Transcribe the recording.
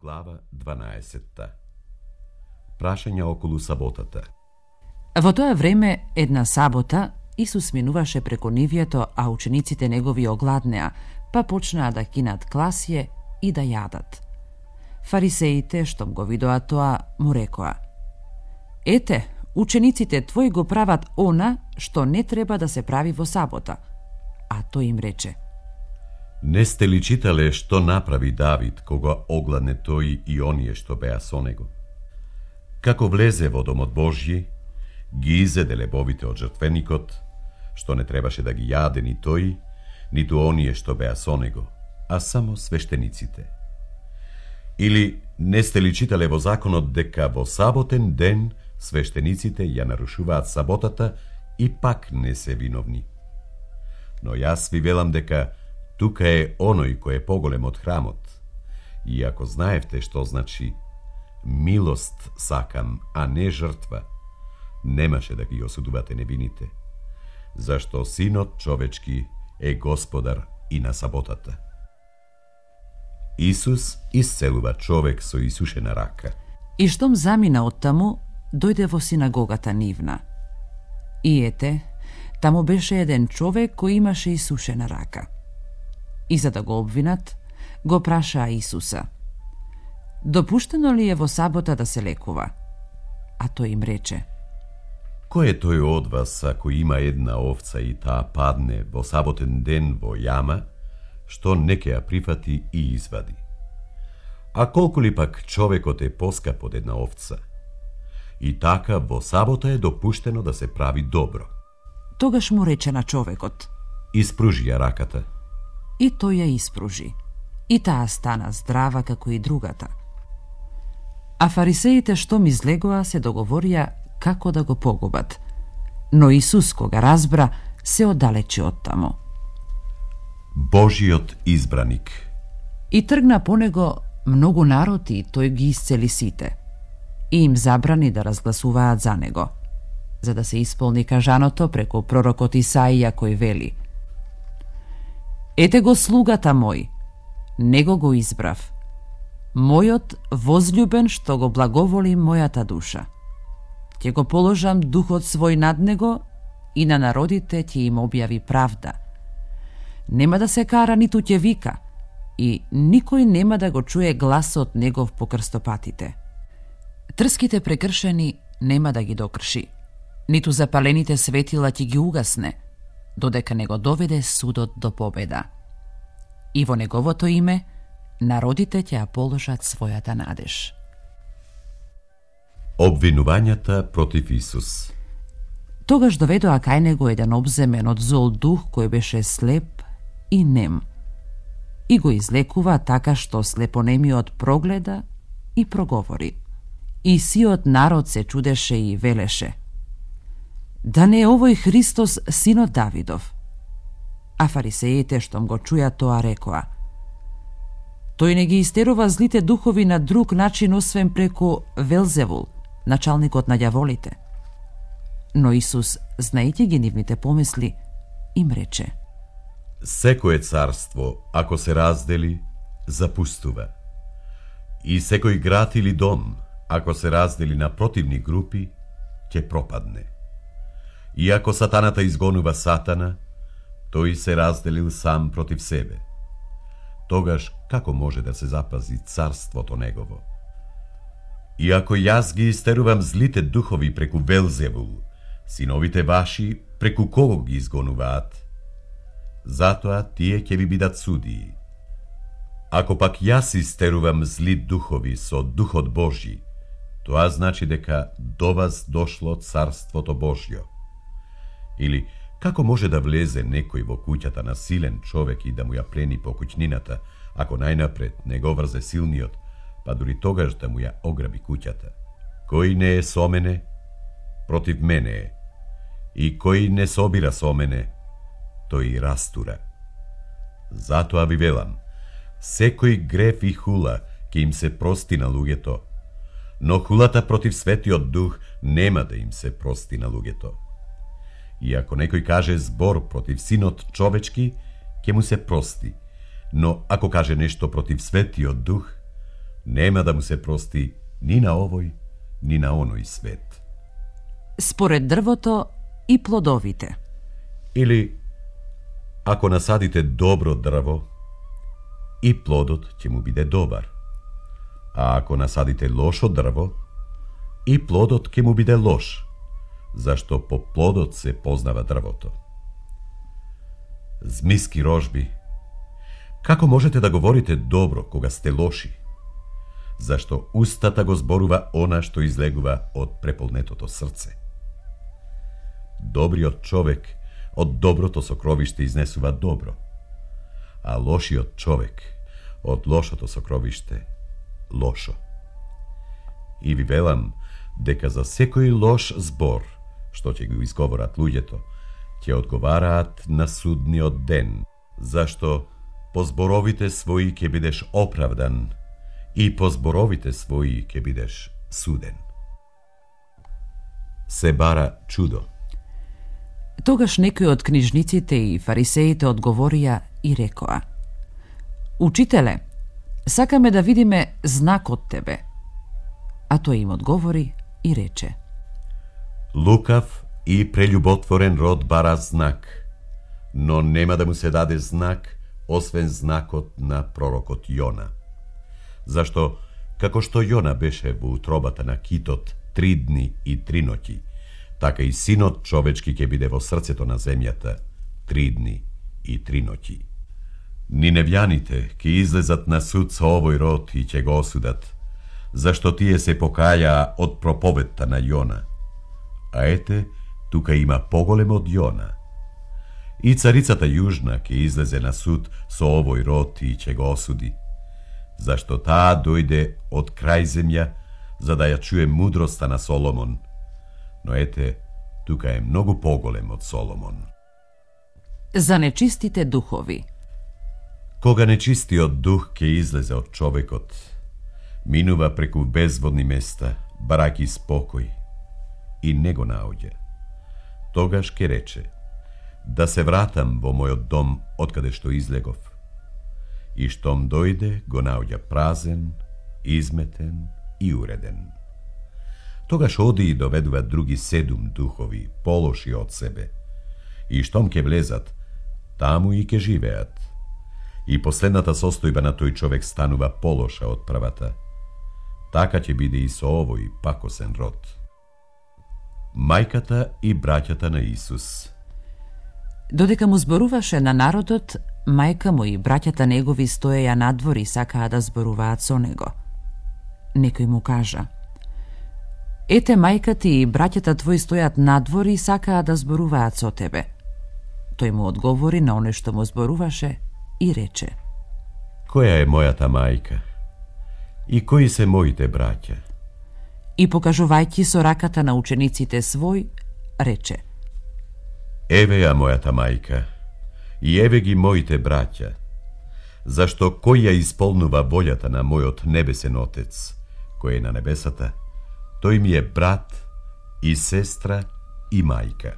Глава 12. Прашања околу саботата. Во тоа време, една сабота, Исус минуваше преку нивјето, а учениците негови огладнеа, па почнаа да кинат класје и да јадат. Фарисеите, штом го видоа тоа, му рекоа: „Ете, учениците твои го прават она што не треба да се прави во сабота." А тој им рече: Не сте ли читале што направи Давид кога огладне тој и оние што беа со него? Како влезе во домот Божји, ги изеде лебовите од жртвеникот, што не требаше да ги јаде ни тој, ниту оние што беа со него, а само свештениците. Или не сте ли читале во законот дека во саботен ден свештениците ја нарушуваат саботата и пак не се виновни? Но јас ви велам дека тука е оној кој е поголем од храмот. И ако знаевте што значи милост сакам, а не жртва, немаше да ги осудувате невините, зашто Синот човечки е господар и на саботата. Исус исцелува човек со исушена рака. И штом замина оттаму, дојде во синагогата нивна. И ете, таму беше еден човек кој имаше исушена рака. И за да го обвинат, го прашаа Исуса: „Допуштено ли е во сабота да се лекува?" А тој им рече: Кој е тој од вас, ако има една овца и таа падне во саботен ден во јама, што не ќе ја прифати и извади? А колку ли пак човекот е поскап од една овца? И така во сабота е допуштено да се прави добро. Тогаш му рече на човекот: Испружи ја раката. И тој ја испружи. И таа стана здрава како и другата. А фарисеите штом излегоа се договорија како да го погубат. Но Исус, кога разбра, се оддалечи од таму. Божиот избраник. И тргна по него многу народ и тој ги исцели сите. И им забрани да разгласуваат за него, за да се исполни кажаното преку пророкот Исаија кој вели: „Ете го слугата мој, него го избрав, мојот возлюбен што го благоволи мојата душа. Ќе го положам духот свој над него и на народите ќе им објави правда. Нема да се кара ниту ќе вика и никој нема да го чуе гласот негов по крстопатите. Трските прекршени нема да ги докрши, ниту запалените светила ќе ги угасне, додека не го доведе судот до победа. И во неговото име народите ќе ја положат својата надеж." Обвинувањата против Исус. Тогаш доведоа кај него еден обземен од зол дух кој беше слеп и нем. И го излекува така што слепонемиот прогледа и проговори. И сиот народ се чудеше и велеше: „Да не е овој Христос, синот Давидов?" А фарисеите штом го чуја тоа рекоа: „Тој не ги истерува злите духови на друг начин освен преку Велзевул, началникот на ѓаволите." Но Исус, знаејќи ги нивните помисли, им рече: Секое царство, ако се раздели, запустува. И секој град или дом, ако се раздели на противни групи, ќе пропадне. И ако сатаната изгонува сатана, тој се разделил сам против себе. Тогаш како може да се запази царството негово? И ако јас ги истерувам злите духови преку Велзевул, синовите ваши преку кого ги изгонуваат? Затоа тие ќе ви бидат судии. Ако пак јас истерувам зли духови со Духот Божји, тоа значи дека до вас дошло Царството Божјо. Или како може да влезе некој во куќата на силен човек и да му ја плени по куќнината, ако најнапред не го врзе силниот, па дури тогаш да му ја ограби куќата? Кој не е со мене, против мене е. И кој не собира со мене, тој растура. Затоа ви велам, секој греф и хула ќе им се прости на луѓето, но хулата против Светиот Дух нема да им се прости на луѓето. И ако некој каже збор против Синот човечки, ќе му се прости, но ако каже нешто против Светиот Дух, нема да му се прости ни на овој, ни на оној свет. Според дрвото и плодовите. Или, ако насадите добро дрво, и плодот ќе му биде добар. А ако насадите лошо дрво, и плодот ќе му биде лош, зашто по плодот се познава дрвото. Змиски рожби, како можете да говорите добро кога сте лоши? Зашто устата го зборува она што излегува од преполнетото срце. Добриот човек од доброто сокровиште изнесува добро, а лошиот човек од лошото сокровиште лошо. И ви велам дека за секој лош збор што ќе го изговорат луѓето, ќе одговараат на судниот ден, зашто по зборовите своји ќе бидеш оправдан и по зборовите своји ќе бидеш суден. Се бара чудо. Тогаш некои од книжниците и фарисеите одговорија и рекоа: Учителе, сакаме да видиме знак од тебе. А тој им одговори и рече: Лукав и прелюботворен род бара знак, но нема да му се даде знак, освен знакот на пророкот Јона. Зашто, како што Јона беше во утробата на китот 3 дни и 3 ноќи, така и синот човечки ќе биде во срцето на земјата 3 дни и 3 ноќи. Ниневјаните ќе излезат на суд со овој род и ќе го осудат, зашто тие се покаја од проповедта на Јона. А ете, тука има поголем од Јона. И царицата Јужна ќе излезе на суд со овој род и ќе го осуди, зашто таа дојде од крај земја за да ја чуе мудроста на Соломон. Но ете, тука е многу поголем од Соломон. За нечистите духови. Кога нечистиот дух ќе излезе од човекот, минува преку безводни места, бараки спокој, и не го наоѓа. Тогаш ќе рече: да се вратам во мојот дом откаде што излегов. И штом дојде, го наоѓа празен, изметен и уреден. Тогаш оди и доведува други 7 духови, полоши од себе. И штом ќе влезат, таму и ќе живеат. И последната состојба на тој човек станува полоша од првата. Така ќе биде и со овој пакосен род. Мајката и браќата на Исус. Додека му зборуваше на народот, мајка му и браќата негови стоеја надвор и сакаа да зборуваат со него. Некој му кажа: Ете, мајка ти и браќата твои стојат надвор и сакаа да зборуваат со тебе. Тој му одговори на оне што му зборуваше и рече: Која е мојата мајка? И кои се моите браќа? И покажувајќи со раката на учениците свој, рече: Еве ја мојата мајка, и еве ги моите браќа, зашто кој ја исполнува волјата на мојот небесен Отец, кој е на небесата, тој ми е брат и сестра и мајка.